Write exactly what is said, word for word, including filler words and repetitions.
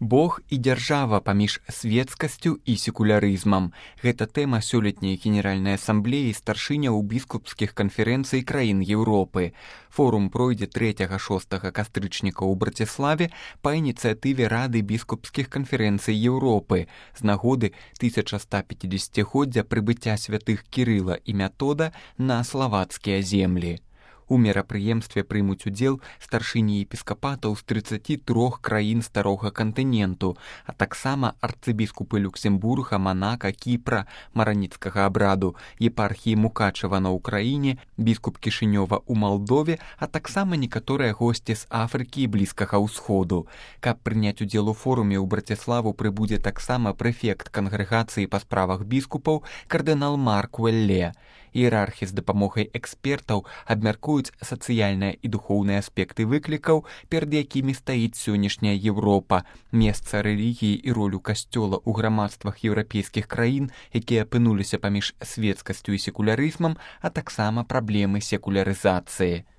Бог і дзяржава паміж свецкасцю і секулярызмам. Гэта тэма сёлетняй Генеральнай асамблеі старшыняў біскупскіх канферэнцый краін Еўропы. Форум пройдзе трэцяга-шостага кастрычніка ў Браціславе па ініцыятыве Рады біскупскіх канферэнцый Еўропы з нагоды тысяча ста пяцідзесяцігоддзя прыбыцця святых Кірыла і Метода на славацкія землі. У мерапрыемстве прымуць удзел старшыні епіскапатаў з трыццаці трох краін старога кантыненту, а таксама арцыбіскупы Люксембурга, Манака, Кіпра, Мараніцкага абраду, епархіі Мукачева на Ўкраіне, біскуп Кішынёва ў Малдове, а таксама некаторыя госці з Афрыкі і Блізкага ўсходу. Каб прыняць удзел у форуме ў Браціславу прыбудзе таксама прэфект кангрэгацыі па справах біскупаў кардынал Марк Уэлле. Іерархі з дапамогай экспертаў абмяркуюць сацыяльныя і духоўныя аспекты выклікаў, перад якімі стаіць сённяшняя Еўропа, месца рэлігіі і ролю касцёла ў грамадствах еўрапейскіх краін, якія апынуліся паміж свецкасцю і секулярызмам, а таксама праблемы секулярызацыі.